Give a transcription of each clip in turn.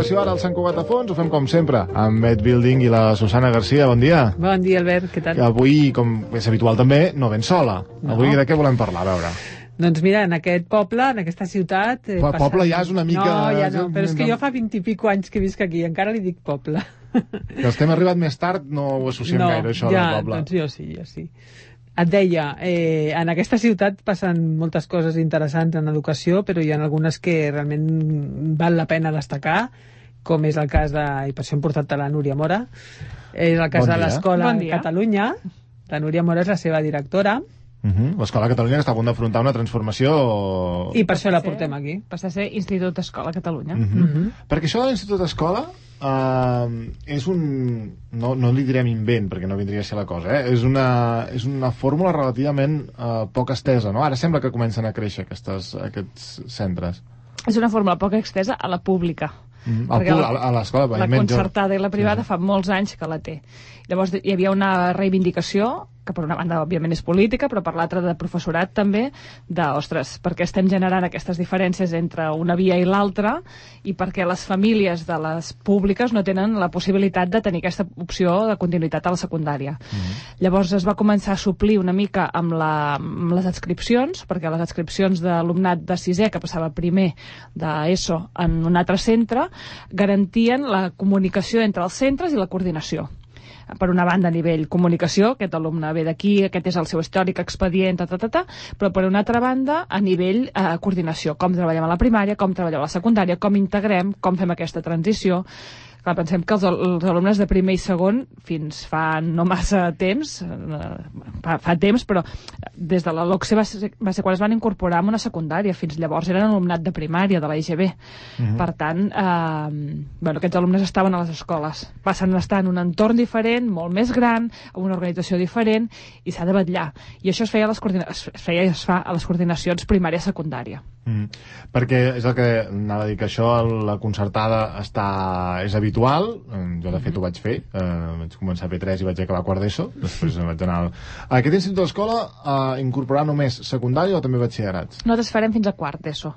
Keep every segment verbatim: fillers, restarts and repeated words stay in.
l'educació ara al Sant Cugat a Fons. Ho fem com sempre amb Med Building i la Susana Garcia. Bon dia. Bon dia, Albert, què tal? Que avui, com és habitual també, no ben sola. No. Avui de què volem parlar, a veure? Doncs mira, en aquest poble, en aquesta ciutat... Eh, Però poble ja és una mica... No, ja no, però és que jo fa vint i pico anys que visc aquí, encara li dic poble. Que els que hem arribat més tard no ho associem no, gaire, això ja, del poble. Doncs jo sí, jo sí. Et deia, eh, en aquesta ciutat passen moltes coses interessants en educació, però hi ha algunes que realment val la pena destacar, com és el cas de... i per això hem portat a la Núria Mora, és el cas bon de l'Escola bon Catalunya. La Núria Mora és la seva directora. Uh -huh. L'Escola Catalunya que està a punt d'afrontar una transformació... I per això la portem aquí. Passa a ser Institut Escola Catalunya. Uh -huh. Uh -huh. Perquè això de l'Institut Escola uh, és un... No, no li direm invent, perquè no vindria a ser la cosa, eh? És una, és una fórmula relativament uh, poc estesa, no? Ara sembla que comencen a créixer aquestes, aquests centres. És una fórmula poc extesa a la pública. Mm, -hmm. A l'escola, la concertada i la privada sí, sí. fa molts anys que la té. Llavors hi havia una reivindicació que per una banda òbviament és política, però per l'altra de professorat també, de, ostres, perquè estem generant aquestes diferències entre una via i l'altra i perquè les famílies de les públiques no tenen la possibilitat de tenir aquesta opció de continuïtat a la secundària. Mm-hmm. Llavors es va començar a suplir una mica amb, la, amb les adscripcions, perquè les adscripcions d'alumnat de sisè que passava primer d'ESO en un altre centre garantien la comunicació entre els centres i la coordinació. Per una banda a nivell comunicació, aquest alumne ve d'aquí, aquest és el seu històric expedient, ta, ta, ta, ta, però per una altra banda a nivell eh, coordinació, com treballem a la primària, com treballem a la secundària, com integrem, com fem aquesta transició. Clar, pensem que els, els alumnes de primer i segon, fins fa no massa temps, eh, fa, fa temps, però des de la LOCSE va ser, va ser quan es van incorporar en una secundària, fins llavors eren alumnat de primària, de la I G B. Uh-huh. Per tant, eh, bueno, aquests alumnes estaven a les escoles. Passen a estar en un entorn diferent, molt més gran, amb una organització diferent, i s'ha de vetllar. I això es feia a les, es feia i es fa a les coordinacions primària-secundària. Mm. Perquè és el que anava a dir, que això la concertada està, és habitual. Jo de fet ho vaig fer, eh, vaig començar a P tres i vaig acabar a quart d'ESO, després vaig anar al... Aquest institut d'escola eh, incorporarà només secundària o també batxillerats? Nosaltres farem fins a quart d'ESO.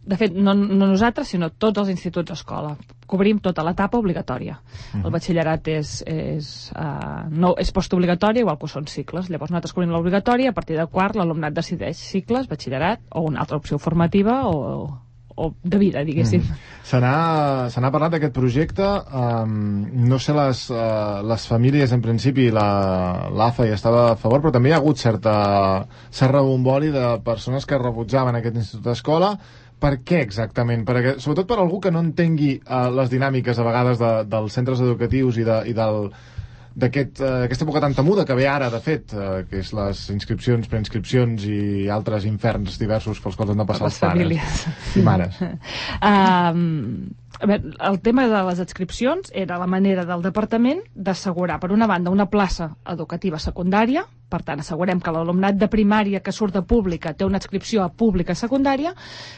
De fet, no, no nosaltres, sinó tots els instituts d'escola. Cobrim tota l'etapa obligatòria. Uh-huh. El batxillerat és, és, uh, no, és postobligatori, igual que són cicles. Llavors nosaltres cobrim l'obligatòria, a partir de quart l'alumnat decideix cicles, batxillerat, o una altra opció formativa, o, o de vida, diguéssim. Uh-huh. Se n'ha parlat d'aquest projecte. Um, no sé, les, uh, les famílies, en principi, l'A F A hi estava a favor, però també hi ha hagut certa, cert rebombori de persones que rebutjaven aquest institut d'escola. Per què exactament? Perquè, sobretot per algú que no entengui uh, les dinàmiques a vegades de, dels centres educatius i, de, i del, d'aquest, uh, aquesta època tan temuda que ve ara, de fet, uh, que és les inscripcions, preinscripcions i altres inferns diversos pels quals han de passar els pares i mares. um, a veure, el tema de les adscripcions era la manera del departament d'assegurar, per una banda, una plaça educativa secundària. Per tant, assegurem que l'alumnat de primària que surt de pública té una adscripció a pública secundària,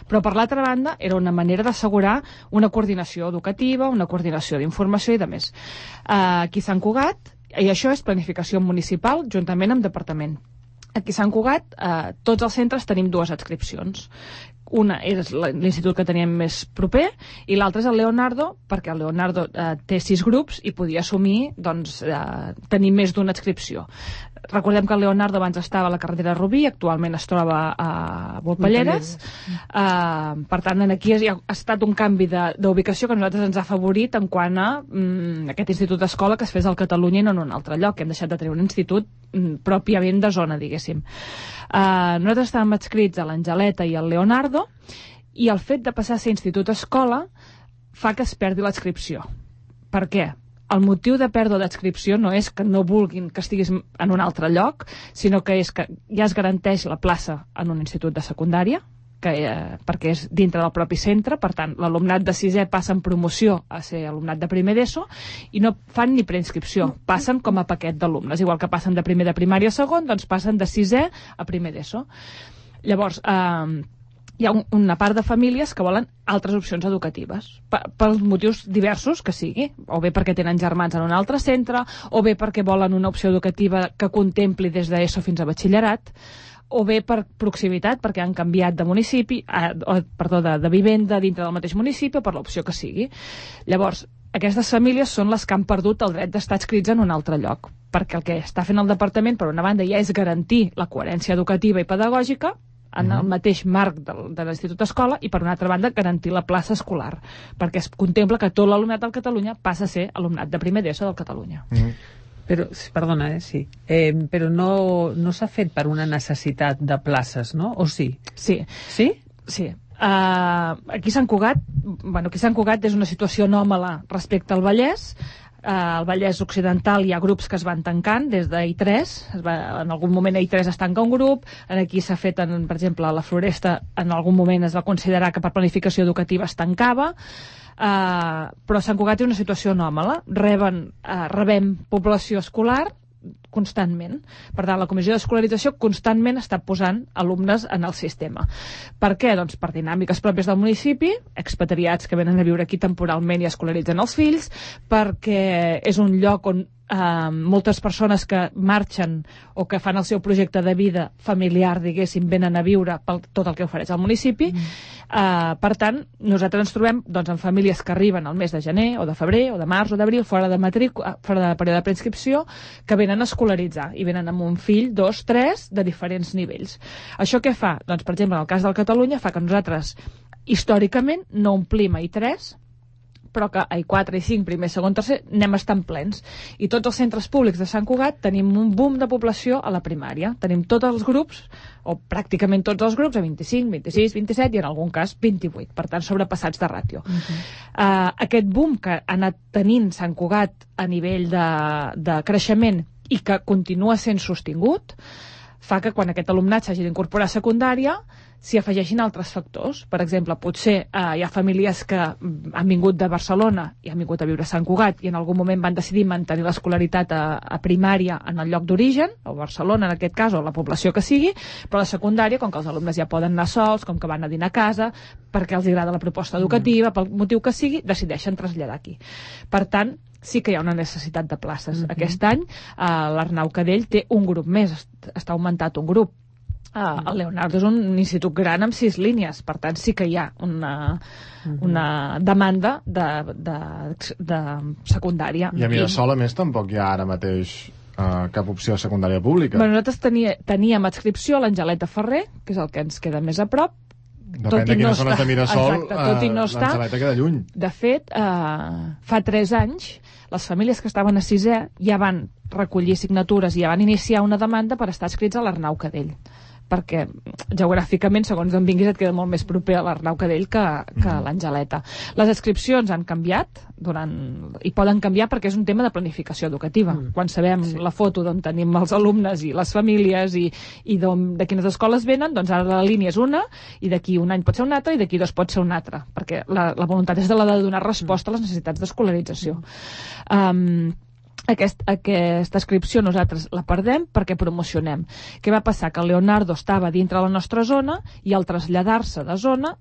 però per l'altra banda era una manera d'assegurar una coordinació educativa, una coordinació d'informació i de més. Uh, aquí a Sant Cugat, i això és planificació municipal juntament amb departament. Aquí a Sant Cugat, eh, tots els centres tenim dues adscripcions. Una és l'institut que teníem més proper i l'altra és el Leonardo, perquè el Leonardo eh, té sis grups i podia assumir doncs, eh, tenir més d'una adscripció. Recordem que el Leonardo abans estava a la carretera Rubí, actualment es troba a Volpelleres. Uh, per tant, aquí ha, ha estat un canvi d'ubicació que a nosaltres ens ha afavorit en quant a mm, aquest institut d'escola que es fes al Catalunya i no en un altre lloc. Hem deixat de tenir un institut mm, pròpiament de zona, diguéssim. Uh, nosaltres estàvem adscrits a l'Angeleta i al Leonardo i el fet de passar a ser institut escola fa que es perdi l'adscripció. Per què? El motiu de pèrdua d'adscripció no és que no vulguin que estiguis en un altre lloc, sinó que és que ja es garanteix la plaça en un institut de secundària, que, eh, perquè és dintre del propi centre. Per tant, l'alumnat de sisè passa en promoció a ser alumnat de primer d'ESO i no fan ni preinscripció, passen com a paquet d'alumnes. Igual que passen de primer de primària a segon, doncs passen de sisè a primer d'ESO. Llavors, eh, hi ha un, una part de famílies que volen altres opcions educatives, pels motius diversos que sigui, o bé perquè tenen germans en un altre centre, o bé perquè volen una opció educativa que contempli des d'ESO fins a batxillerat, o bé per proximitat, perquè han canviat de municipi, eh, o, perdó, de, de vivenda dintre del mateix municipi, o per l'opció que sigui. Llavors, aquestes famílies són les que han perdut el dret d'estar adscrits en un altre lloc, perquè el que està fent el departament, per una banda, ja és garantir la coherència educativa i pedagògica en el mateix marc de, de l'Institut Escola, i per una altra banda garantir la plaça escolar, perquè es contempla que tot l'alumnat del Catalunya passa a ser alumnat de primer d'ESO del Catalunya. Mm. Però, perdona, eh, sí. Eh, però no, no s'ha fet per una necessitat de places, no? O sí? Sí. Sí? Sí. Uh, aquí a Sant Cugat, bueno, aquí a Sant Cugat és una situació anòmala respecte al Vallès. Uh, al Vallès Occidental hi ha grups que es van tancant des de I tres, es va, en algun moment a I tres es tanca un grup, aquí s'ha fet, en, per exemple, a la Floresta en algun moment es va considerar que per planificació educativa es tancava, uh, però Sant Cugat és una situació anòmala, reben, uh, rebem població escolar constantment. Per tant, la Comissió d'Escolarització constantment està posant alumnes en el sistema. Per què? Doncs per dinàmiques pròpies del municipi, expatriats que venen a viure aquí temporalment i escolaritzen els fills, perquè és un lloc on eh, moltes persones que marxen o que fan el seu projecte de vida familiar, diguéssim, venen a viure per tot el que ofereix el municipi. Mm. Eh, per tant, nosaltres ens trobem doncs, en famílies que arriben al mes de gener o de febrer o de març o d'abril, fora de matrícula, fora de període de preinscripció, que venen a escolaritzar i venen amb un fill, dos, tres, de diferents nivells. Això què fa? Doncs, per exemple, en el cas del Catalunya, fa que nosaltres històricament no omplim a I tres, però que a I quatre, I cinc, primer, segon, tercer, anem estant plens. I tots els centres públics de Sant Cugat tenim un boom de població a la primària. Tenim tots els grups, o pràcticament tots els grups, a vint-i-cinc, vint-i-sis, vint-i-set i en algun cas vint-i-vuit, per tant sobrepassats de ràtio. Uh-huh. uh, aquest boom que ha anat tenint Sant Cugat a nivell de, de creixement i que continua sent sostingut, fa que quan aquest alumnat s'hagi d'incorporar a secundària s'hi afegeixin altres factors. Per exemple, potser eh, hi ha famílies que han vingut de Barcelona i han vingut a viure a Sant Cugat i en algun moment van decidir mantenir l'escolaritat a, a primària en el lloc d'origen, o Barcelona en aquest cas, o la població que sigui, però a la secundària, com que els alumnes ja poden anar sols, com que van a dinar a casa, perquè els agrada la proposta educativa, pel motiu que sigui, decideixen traslladar aquí. Per tant, sí que hi ha una necessitat de places. Mm-hmm. Aquest any eh, l'Arnau Cadell té un grup més, està augmentat un grup. Uh, el Leonardo és un institut gran amb sis línies, per tant sí que hi ha una, una demanda de, de, de secundària. I a Mirasol, a més, tampoc hi ha ara mateix uh, cap opció de secundària pública. Bueno, nosaltres tenia, teníem adscripció a l'Angeleta Ferrer, que és el que ens queda més a prop. Depèn tot de quines no zones de Mirasol, exacte, tot i no està. l'Angeleta queda lluny. De fet, uh, fa tres anys, les famílies que estaven a sisè ja van recollir signatures i ja van iniciar una demanda per estar adscrits a l'Arnau Cadell, perquè geogràficament, segons on vinguis, et queda molt més proper a l'Arnau Cadell que, que a l'Angeleta. Les adscripcions han canviat durant, i poden canviar perquè és un tema de planificació educativa. Mm. Quan sabem sí. la foto d'on tenim els alumnes i les famílies i, i de quines escoles venen, doncs ara la línia és una i d'aquí un any pot ser una altra i d'aquí dos pot ser una altra, perquè la, la voluntat és de la de donar resposta a les necessitats d'escolarització. Um, Aquest, aquesta inscripció nosaltres la perdem perquè promocionem. Què va passar? Que el Leonardo estava dintre la nostra zona i al traslladar-se de zona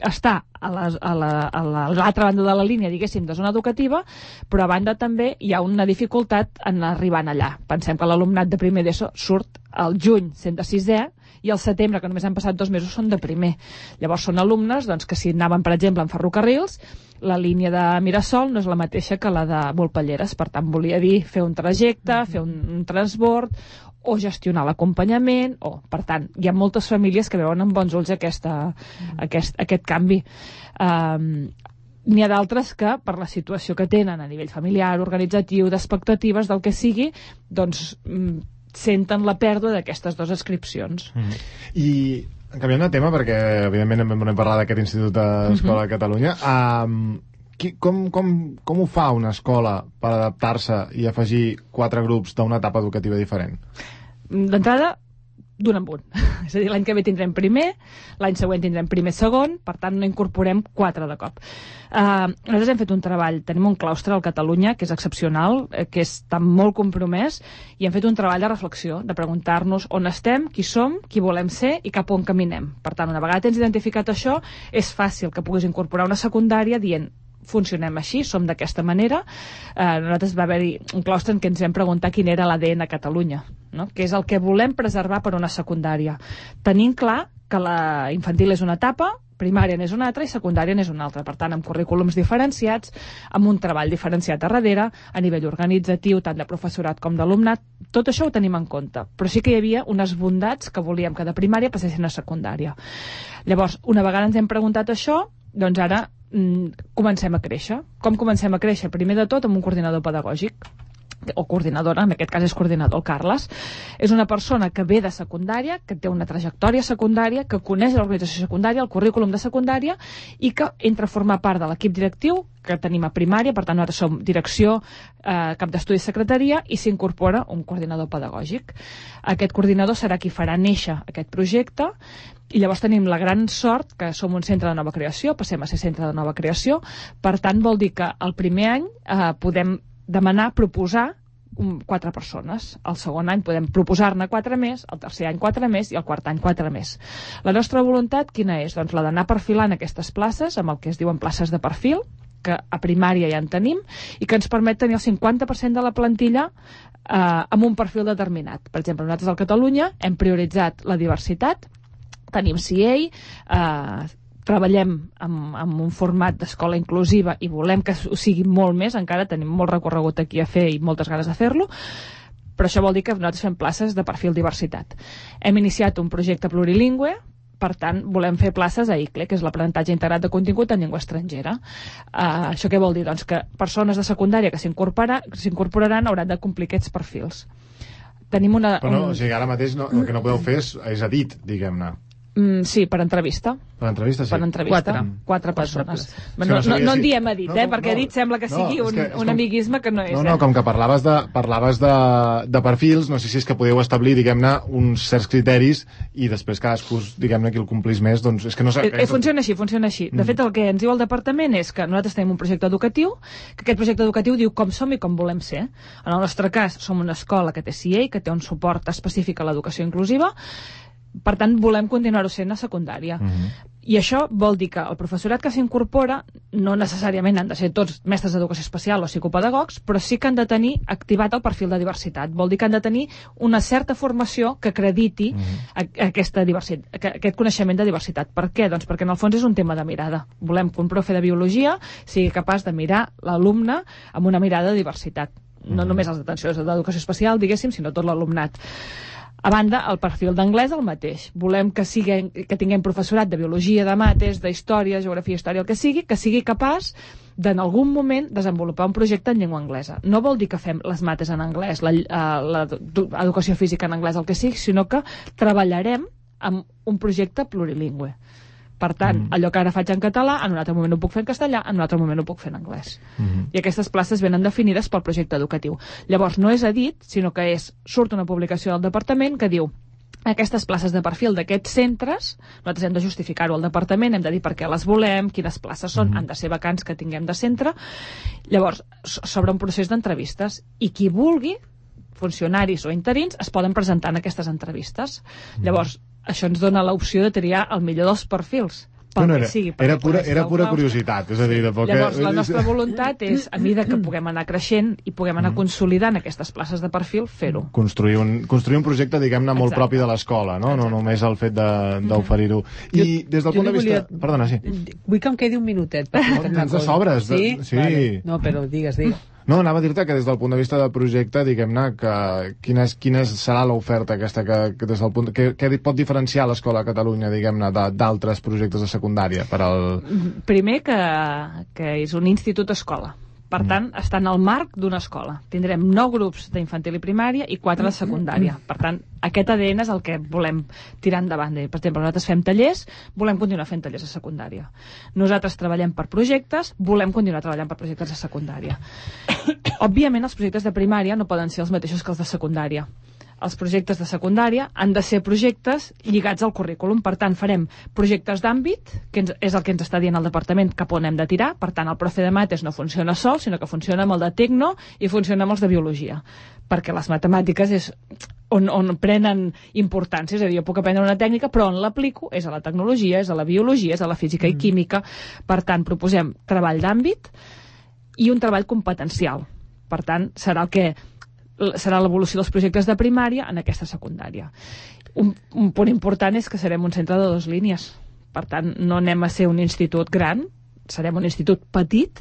està a l'altra la, a la, a l'altra banda de la línia, diguéssim, de zona educativa, però a banda també hi ha una dificultat en arribar allà. Pensem que l'alumnat de primer d'ESO surt al juny sent de sisè i al setembre, que només han passat dos mesos, són de primer. Llavors són alumnes doncs, que si anaven, per exemple, en ferrocarrils, la línia de Mirasol no és la mateixa que la de Volpelleres, per tant volia dir fer un trajecte, fer un, un transbord o gestionar l'acompanyament, o, per tant, hi ha moltes famílies que veuen amb bons ulls aquesta, aquest, aquest canvi. Um, n'hi ha d'altres que, per la situació que tenen a nivell familiar, organitzatiu, d'expectatives, del que sigui, doncs senten la pèrdua d'aquestes dues inscripcions. Mm. I canviant de tema, perquè evidentment hem de parlar d'aquest Institut d'Escola mm-hmm. de Catalunya, um, qui, com, com, com ho fa una escola per adaptar-se i afegir quatre grups d'una etapa educativa diferent? D'entrada, d'un en un. És a dir, l'any que ve tindrem primer, l'any següent tindrem primer segon, per tant no incorporem quatre de cop. Uh, nosaltres hem fet un treball, tenim un claustre al Catalunya que és excepcional, eh, que està molt compromès, i hem fet un treball de reflexió, de preguntar-nos on estem, qui som, qui volem ser i cap on caminem. Per tant, una vegada tens identificat això, és fàcil que puguis incorporar una secundària dient funcionem així, som d'aquesta manera. Eh, nosaltres va haver-hi un claustre en què ens vam preguntar quin era l'A D N a Catalunya. no? Que és el que volem preservar per una secundària. Tenint clar que la infantil és una etapa, primària n'és una altra i secundària n'és una altra. Per tant, amb currículums diferenciats, amb un treball diferenciat a darrere, a nivell organitzatiu, tant de professorat com d'alumnat, tot això ho tenim en compte. Però sí que hi havia unes bondats que volíem que de primària passessin a secundària. Llavors, una vegada ens hem preguntat això, doncs ara mm, comencem a créixer. Com comencem a créixer? Primer de tot amb un coordinador pedagògic, o coordinadora, en aquest cas és coordinador, el Carles. És una persona que ve de secundària, que té una trajectòria secundària, que coneix l'organització secundària, el currículum de secundària, i que entra a formar part de l'equip directiu que tenim a primària. Per tant, nosaltres som direcció, eh, cap d'estudi i secretaria, i s'incorpora un coordinador pedagògic. Aquest coordinador serà qui farà néixer aquest projecte, i llavors tenim la gran sort que som un centre de nova creació, passem a ser centre de nova creació. Per tant, vol dir que el primer any eh, podem demanar, proposar um, quatre persones. El segon any podem proposar-ne quatre més, el tercer any quatre més i el quart any quatre més. La nostra voluntat quina és? Doncs la d'anar perfilant aquestes places amb el que es diuen places de perfil, que a primària ja en tenim, i que ens permet tenir el cinquanta per cent de la plantilla eh, amb un perfil determinat. Per exemple, nosaltres al Catalunya hem prioritzat la diversitat, tenim C A, eh, treballem amb, amb un format d'escola inclusiva i volem que ho sigui molt més, encara tenim molt recorregut aquí a fer i moltes ganes de fer-lo, però això vol dir que nosaltres fem places de perfil diversitat. Hem iniciat un projecte plurilingüe, per tant, volem fer places a I C L E, que és l'aprenentatge integrat de contingut en llengua estrangera. Uh, això què vol dir? Doncs que persones de secundària que s'incorporaran hauran de complir aquests perfils. Tenim una... Però no, un... o sigui, ara mateix no, el que no podeu fer és, és edit, diguem-ne. Mm, sí, per entrevista. Per entrevista, sí. Per entrevista. Quatre. Quatre persones. No, No, no, no, no en si... diem edit, no, eh? no, Perquè no, edit sembla que sigui no, un, és que, és un com... amiguisme que no és. No, no, eh? com que parlaves de, parlaves de, de perfils, no sé si és que podeu establir, diguem-ne, uns certs criteris i després cadascú, diguem-ne, qui el complís més, doncs és que no sé... Eh, eh, funciona així, funciona així. De Mm. fet, el que ens diu el departament és que nosaltres tenim un projecte educatiu, que aquest projecte educatiu diu com som i com volem ser. En el nostre cas, som una escola que té C A, que té un suport específic a l'educació inclusiva, per tant, volem continuar-ho sent a secundària. Mm-hmm. I això vol dir que el professorat que s'incorpora no necessàriament han de ser tots mestres d'educació especial o psicopedagogs, però sí que han de tenir activat el perfil de diversitat. Vol dir que han de tenir una certa formació que acrediti mm-hmm. aquesta diversitat, aquest coneixement de diversitat. Per què? Doncs perquè en el fons és un tema de mirada. Volem que un profe de biologia sigui capaç de mirar l'alumne amb una mirada de diversitat. No mm-hmm. només els d'atenció d'educació especial, diguéssim, sinó tot l'alumnat. A banda, el perfil d'anglès el mateix. Volem que, sigui, que tinguem professorat de biologia, de mates, d'història, geografia, història, el que sigui, que sigui capaç de, en algun moment, desenvolupar un projecte en llengua anglesa. No vol dir que fem les mates en anglès, l'educació física en anglès, el que sigui, sinó que treballarem amb un projecte plurilingüe. Per tant, mm. allò que ara faig en català, en un altre moment ho puc fer en castellà, en un altre moment ho puc fer en anglès. Mm-hmm. I aquestes places venen definides pel projecte educatiu. Llavors, no és edit, sinó que és surt una publicació del departament que diu aquestes places de perfil d'aquests centres, nosaltres hem de justificar-ho al departament, hem de dir per què les volem, quines places són, mm-hmm. han de ser vacants que tinguem de centre. Llavors, s'obre un procés d'entrevistes i qui vulgui, funcionaris o interins, es poden presentar en aquestes entrevistes. Mm-hmm. Llavors, això ens dona l'opció de triar el millor dels perfils. No, no, era, sigui, era pura, era pura curiositat. És a dir, de poc... Llavors, la nostra voluntat és, a mesura que puguem anar creixent i puguem anar consolidant aquestes places de perfil, fer-ho. Construir un, construir un projecte, diguem-ne, molt Exacte. propi de l'escola, no? No només el fet d'oferir-ho. I des del punt de vista... Volia... Perdona, sí. Vull que em quedi un minutet. Per no, tens de sobres. Sí? Sí. Vale. No, però digues, digues. No, anava a dir-te que des del punt de vista del projecte, diguem-ne, que quina, és, quina serà l'oferta aquesta que, que des del punt... Que, que pot diferenciar l'escola a Catalunya, diguem-ne, d'altres projectes de secundària per al... Primer que, que és un institut escola. Per tant, està en el marc d'una escola. Tindrem nou grups d'infantil i primària i quatre de secundària. Per tant, aquest A D N és el que volem tirar endavant. Per exemple, nosaltres fem tallers, volem continuar fent tallers a secundària. Nosaltres treballem per projectes, volem continuar treballant per projectes de secundària. Òbviament, els projectes de primària no poden ser els mateixos que els de secundària. Els projectes de secundària han de ser projectes lligats al currículum. Per tant, farem projectes d'àmbit, que ens, és el que ens està dient el departament cap on hem de tirar. Per tant, el profe de mates no funciona sol, sinó que funciona amb el de tecno i funciona amb els de biologia. Perquè les matemàtiques és on, on prenen importància. És a dir, jo puc aprendre una tècnica, però on l'aplico és a la tecnologia, és a la biologia, és a la física i química. Per tant, proposem treball d'àmbit i un treball competencial. Per tant, serà el que serà l'evolució dels projectes de primària en aquesta secundària. Un, un punt important és que serem un centre de dues línies. Per tant, no anem a ser un institut gran, serem un institut petit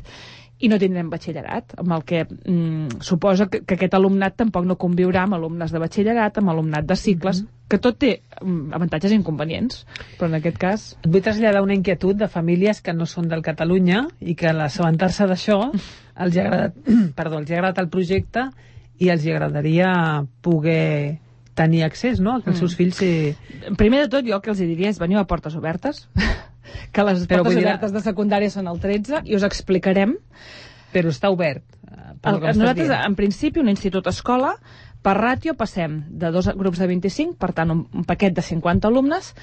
i no tindrem batxillerat, amb el que mm, suposa que, que aquest alumnat tampoc no conviurà amb alumnes de batxillerat, amb alumnat de cicles, mm-hmm. que tot té mm, avantatges i inconvenients, però en aquest cas... Et vull traslladar una inquietud de famílies que no són del Catalunya i que a l'assabentar-se d'això els ha agradat, perdó, els ha agradat el projecte i els agradaria poder tenir accés, no?, que els seus fills... I... Primer de tot, jo el que els diria és veniu a portes obertes, que les Però portes dir... obertes de secundària són el tretze, i us explicarem... Però està obert. El, nosaltres, en principi, un institut-escola, per ràtio passem de dos grups de vint-i-cinc, per tant, un, un paquet de cinquanta alumnes,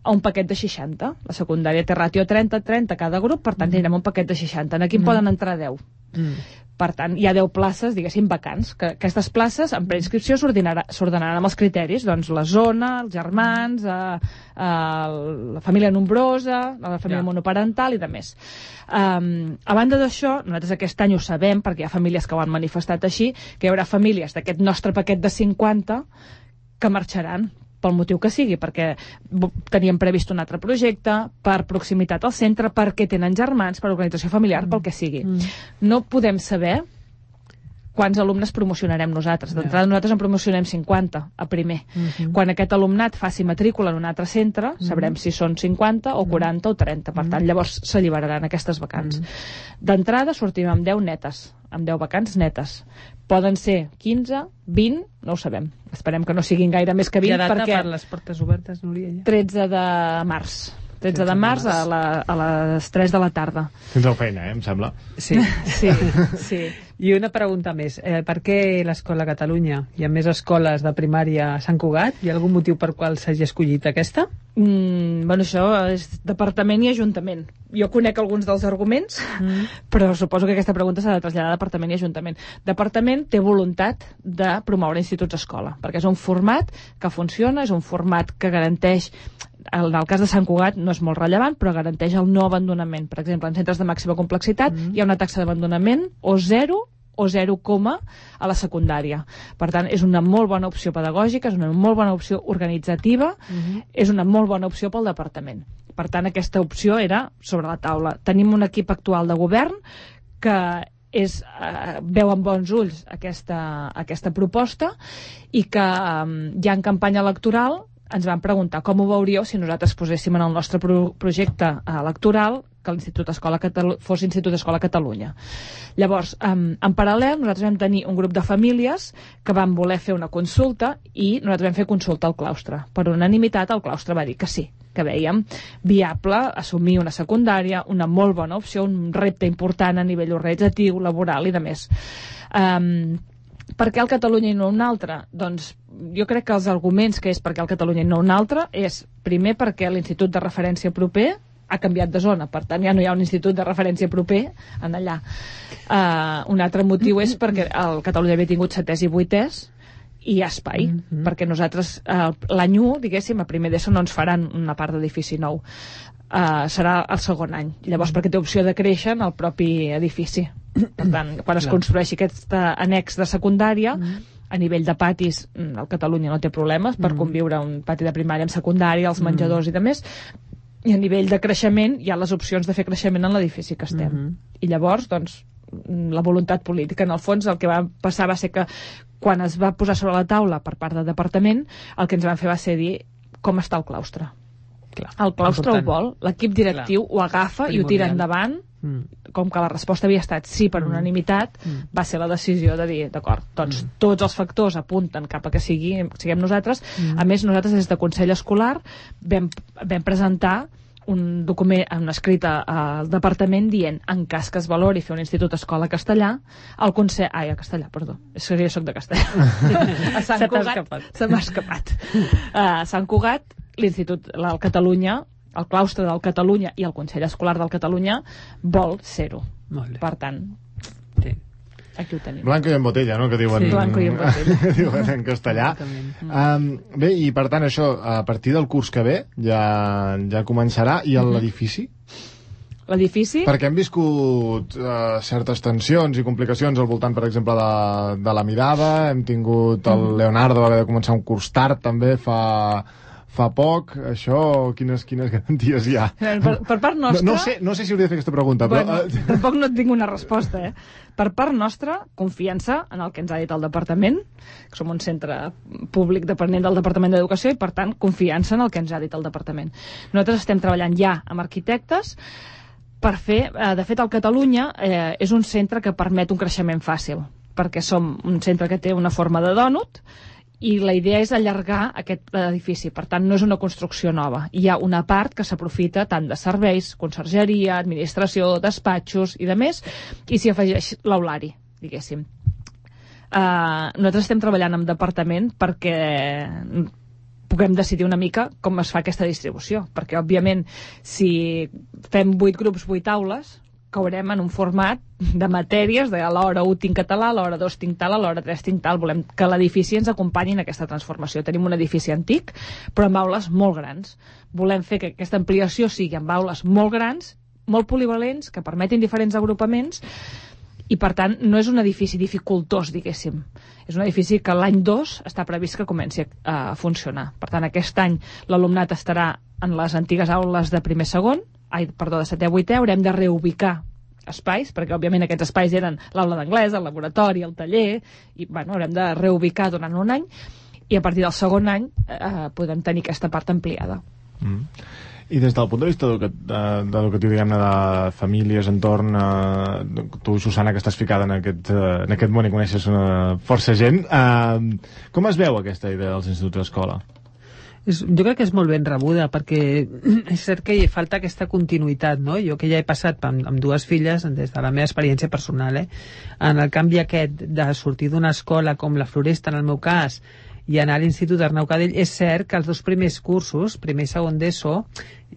a un paquet de seixanta. La secundària té ràtio trenta trenta cada grup, per tant, mm. tindrem un paquet de seixanta. Aquí mm. poden entrar deu. Mm. Per tant, hi ha deu places, diguéssim, vacants, que aquestes places, en preinscripció, s'ordenaran amb els criteris, doncs la zona, els germans, eh, eh, la família nombrosa, la família ja. monoparental i de més. Um, a banda d'això, nosaltres aquest any ho sabem, perquè hi ha famílies que ho han manifestat així, que hi haurà famílies d'aquest nostre paquet de cinquanta que marxaran, pel motiu que sigui, perquè teníem previst un altre projecte, per proximitat al centre, perquè tenen germans, per organització familiar, mm. pel que sigui. Mm. No podem saber quants alumnes promocionarem nosaltres. D'entrada, yeah. nosaltres en promocionem cinquanta a primer. Mm-hmm. Quan aquest alumnat faci matrícula en un altre centre, mm-hmm. sabrem si són cinquanta o quaranta mm-hmm. o trenta. Per tant, llavors s'alliberaran aquestes vacants. Mm-hmm. D'entrada, sortim amb deu netes, amb deu vacants netes. Poden ser quinze, vint, no ho sabem. Esperem que no siguin gaire més que vint, perquè... perquè... per les portes obertes, Núria? Ja? tretze de març. tretze de març a, la, a les tres de la tarda. Tindreu feina, eh, em sembla. Sí, sí, sí. I una pregunta més. Eh, per què l'Escola Catalunya? Hi ha més escoles de primària a Sant Cugat? Hi ha algun motiu per qual s'hagi escollit aquesta? Mm, bueno, això és departament i ajuntament. Jo conec alguns dels arguments, mm. però suposo que aquesta pregunta s'ha de traslladar a departament i ajuntament. Departament té voluntat de promoure instituts-escola, perquè és un format que funciona, és un format que garanteix, en el cas de Sant Cugat no és molt rellevant, però garanteix el no abandonament. Per exemple, en centres de màxima complexitat mm. hi ha una taxa d'abandonament o zero o zero, a la secundària. Per tant, és una molt bona opció pedagògica, és una molt bona opció organitzativa, mm-hmm. és una molt bona opció pel departament. Per tant, aquesta opció era sobre la taula. Tenim un equip actual de govern que és, eh, veu amb bons ulls aquesta, aquesta proposta i que eh, ja en campanya electoral ens van preguntar com ho veuríeu si nosaltres poséssim en el nostre pro projecte electoral que l'Institut Escola Catalu fos Institut Escola Catalunya. Llavors, en, en paral·lel, nosaltres vam tenir un grup de famílies que van voler fer una consulta i nosaltres vam fer consulta al claustre. Per unanimitat, el claustre va dir que sí, que veiem viable assumir una secundària, una molt bona opció, un repte important a nivell organitzatiu, laboral i de més. Um, per què el Catalunya i no un altre? Doncs jo crec que els arguments que és per què el Catalunya i no un altre és, primer, perquè l'Institut de Referència proper ha canviat de zona, per tant ja no hi ha un institut de referència proper en allà. Uh, un altre motiu és perquè el Catalunya havia tingut setès i vuitès i hi ha espai, mm -hmm. perquè nosaltres uh, l'any u, diguéssim, a primer d'ESO no ens faran una part d'edifici nou. Uh, serà el segon any. Llavors, perquè té opció de créixer en el propi edifici. Per tant, quan es construeixi aquest annex de secundària, mm -hmm. a nivell de patis, el Catalunya no té problemes per mm -hmm. conviure un pati de primària amb secundària, els menjadors mm -hmm. i de més, i a nivell de creixement hi ha les opcions de fer creixement en l'edifici que estem. Mm -hmm. I llavors, doncs, la voluntat política. En el fons, el que va passar va ser que quan es va posar sobre la taula per part del departament, el que ens van fer va ser dir com està el claustre. Clar, el claustre important. Ho vol, l'equip directiu Clar. Ho agafa Primordial. I ho tira endavant, mm. com que la resposta havia estat sí per mm. unanimitat, mm. va ser la decisió de dir, d'acord, doncs mm. tots els factors apunten cap a que sigui, siguem nosaltres. Mm. A més, nosaltres des de Consell Escolar vam, vam presentar un document, una escrita al departament dient, en cas que es valori fer un institut escola castellà, el Consell... Ai, a castellà, perdó, és que jo soc de castellà. A Sant Cugat, se m'ha escapat. A Sant Cugat, l'Institut, el Catalunya, el claustre del Catalunya i el Consell Escolar del Catalunya vol ser-ho. Per tant, sí. Aquí ho tenim. Blanco i en botella, no?, que diuen, sí. Blanco i en botella. diuen en castellà. Um, bé, i per tant això, a partir del curs que ve ja, ja començarà, i l'edifici? l'edifici... Perquè hem viscut uh, certes tensions i complicacions al voltant, per exemple, de, de la mirada, hem tingut el mm. Leonardo, va haver de començar un curs tard també fa... fa poc, això, quines, quines garanties hi ha? Per, per part nostra... No, no, sé, no sé si hauria de fer aquesta pregunta, bueno, però... Tampoc no et tinc una resposta, eh? Per part nostra, confiança en el que ens ha dit el departament, que som un centre públic dependent del Departament d'Educació, i per tant, confiança en el que ens ha dit el departament. Nosaltres estem treballant ja amb arquitectes per fer... Eh, de fet, el Catalunya eh, és un centre que permet un creixement fàcil, perquè som un centre que té una forma de dònut, i la idea és allargar aquest edifici, per tant no és una construcció nova, hi ha una part que s'aprofita tant de serveis, consergeria, administració, despatxos i de més, i s'hi afegeix l'aulari, diguéssim. Uh, nosaltres estem treballant amb departament perquè puguem decidir una mica com es fa aquesta distribució, perquè òbviament si fem vuit grups, vuit aules, caurem en un format de matèries, de a l'hora u tinc català, a l'hora dos tinc tal, a l'hora tres tinc tal. Volem que l'edifici ens acompanyi en aquesta transformació. Tenim un edifici antic, però amb aules molt grans. Volem fer que aquesta ampliació sigui amb aules molt grans, molt polivalents, que permetin diferents agrupaments, i per tant no és un edifici dificultós, diguéssim. És un edifici que l'any dos està previst que comenci a funcionar. Per tant, aquest any l'alumnat estarà en les antigues aules de primer-segon, ai, perdó, de setè a vuitè, haurem de reubicar espais, perquè òbviament aquests espais eren l'aula d'anglès, el laboratori, el taller, i bueno, haurem de reubicar durant un any, i a partir del segon any eh, podem tenir aquesta part ampliada. Mm. I des del punt de vista educatiu, diguem-ne, de famílies, entorn, eh, tu, Susana, que estàs ficada en aquest, eh, en aquest món i coneixes eh, força gent, eh, com es veu aquesta idea dels instituts d'escola? És, jo crec que és molt ben rebuda, perquè és cert que hi falta aquesta continuïtat, no? Jo que ja he passat amb, amb dues filles, des de la meva experiència personal, eh? En el canvi aquest de sortir d'una escola com la Floresta, en el meu cas, i anar a l'Institut Arnau Cadell, és cert que els dos primers cursos, primer i segon d'ESO,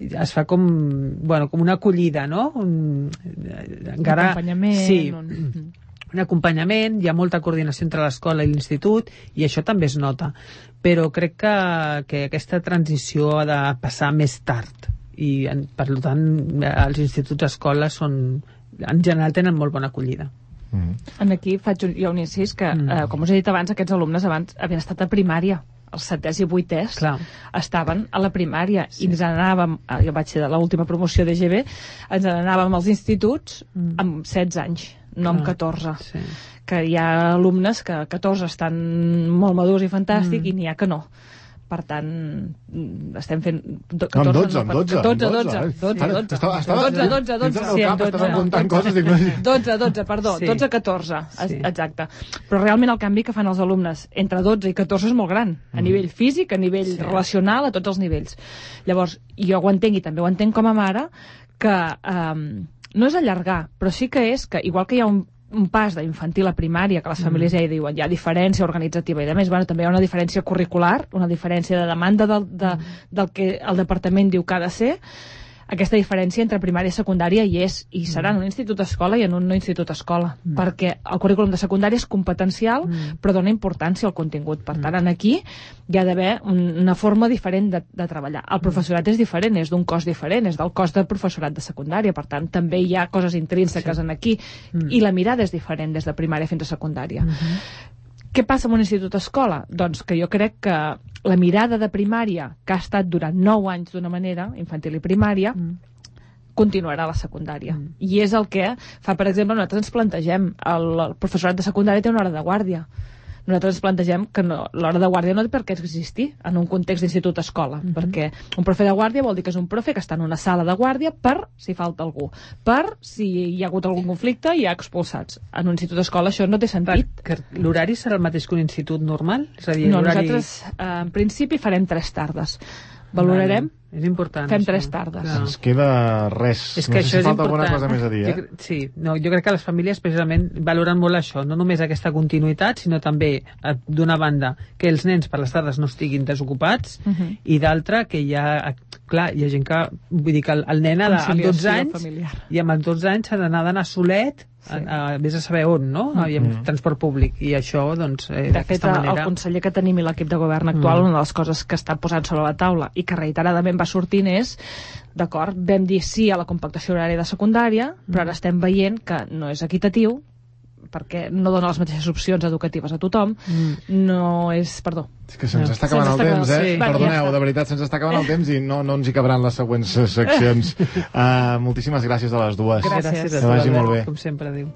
es fa com, bueno, com una acollida, no? Un, encara, un acompanyament. Sí. Un... un acompanyament, hi ha molta coordinació entre l'escola i l'institut, i això també es nota. Però crec que, que aquesta transició ha de passar més tard, i per tant els instituts escoles són, en general tenen molt bona acollida. Mm. Aquí faig un, jo un incís que, mm. eh, com us he dit abans, aquests alumnes abans havien estat a primària, els setès i vuitès Clar. Estaven a la primària, sí. I ens anàvem, jo vaig ser de l'última promoció de G B, ens anàvem als instituts mm. amb setze anys, no Clar. Amb catorze, sí. Que hi ha alumnes que a catorze estan molt madurs i fantàstic mm. i n'hi ha que no. Per tant, estem fent... catorze, amb dotze, amb dotze. dotze, dotze, dotze, dotze. dotze, dotze, dotze. Sí, dotze, dotze, perdó, sí. dotze, catorze, sí. Exacte. Però realment el canvi que fan els alumnes entre dotze i catorze és molt gran, a mm. nivell físic, a nivell sí. relacional, a tots els nivells. Llavors, jo ho entenc i també ho entenc com a mare, que um, no és allargar, però sí que és que, igual que hi ha un un pas d'infantil a primària, que les famílies mm. ja hi diuen, hi ha diferència organitzativa i a més, bueno, també hi ha una diferència curricular, una diferència de demanda del, de, mm. del que el departament diu que ha de ser. Aquesta diferència entre primària i secundària hi és, i serà en un institut escola i en un no institut escola, mm. perquè el currículum de secundària és competencial, mm. però dona importància al contingut. Per tant, mm. aquí hi ha d'haver una forma diferent de, de treballar. El professorat és diferent, és d'un cos diferent, és del cos del professorat de secundària, per tant, també hi ha coses intrínseques sí. en aquí, mm. i la mirada és diferent des de primària fins a secundària. Mm-hmm. Què passa amb un institut escola? Doncs que jo crec que la mirada de primària, que ha estat durant nou anys d'una manera, infantil i primària, mm. continuarà a la secundària. Mm. I és el que fa, per exemple, nosaltres ens plantegem, el, el professorat de secundària té una hora de guàrdia. Nosaltres ens plantegem que no, l'hora de guàrdia no té per què existir en un context d'institut-escola, mm-hmm. perquè un profe de guàrdia vol dir que és un profe que està en una sala de guàrdia per si falta algú, per si hi ha hagut algun conflicte i hi ha expulsats. En un institut-escola això no té sentit. Per, l'horari serà el mateix que un institut normal? És a dir, no, nosaltres eh, en principi farem tres tardes. Valorarem, vale. És important. Fem això. tres tardes. Clar. Ens queda res. És que no això sé si és falta important. alguna cosa més a dir, eh? Jo, sí, no, jo crec que les famílies precisament valoren molt això, no només aquesta continuïtat, sinó també, d'una banda, que els nens per les tardes no estiguin desocupats, uh-huh. i d'altra, que hi ha clar, hi ha gent que, vull dir que el, el nen ha de, amb dotze anys, familiar. i amb els dotze anys s'ha d'anar d'anar solet, sí. a, a, vés a saber on, no? Mm. I amb transport públic, i això, doncs, eh, de fet, manera... el conseller que tenim i l'equip de govern actual, mm. una de les coses que està posant sobre la taula i que reiteradament va sortint és, d'acord, vam dir sí a la compactació horària de secundària, mm. però ara estem veient que no és equitatiu, perquè no dona les mateixes opcions educatives a tothom, mm. no és... Perdó. És que se'ns no. està acabant el temps, eh? Sí. Perdoneu, de veritat, se'ns està acabant el temps i no, no ens hi cabran les següents seccions. Uh, moltíssimes gràcies a les dues. Gràcies. Que vagi molt bé. Com sempre, adéu.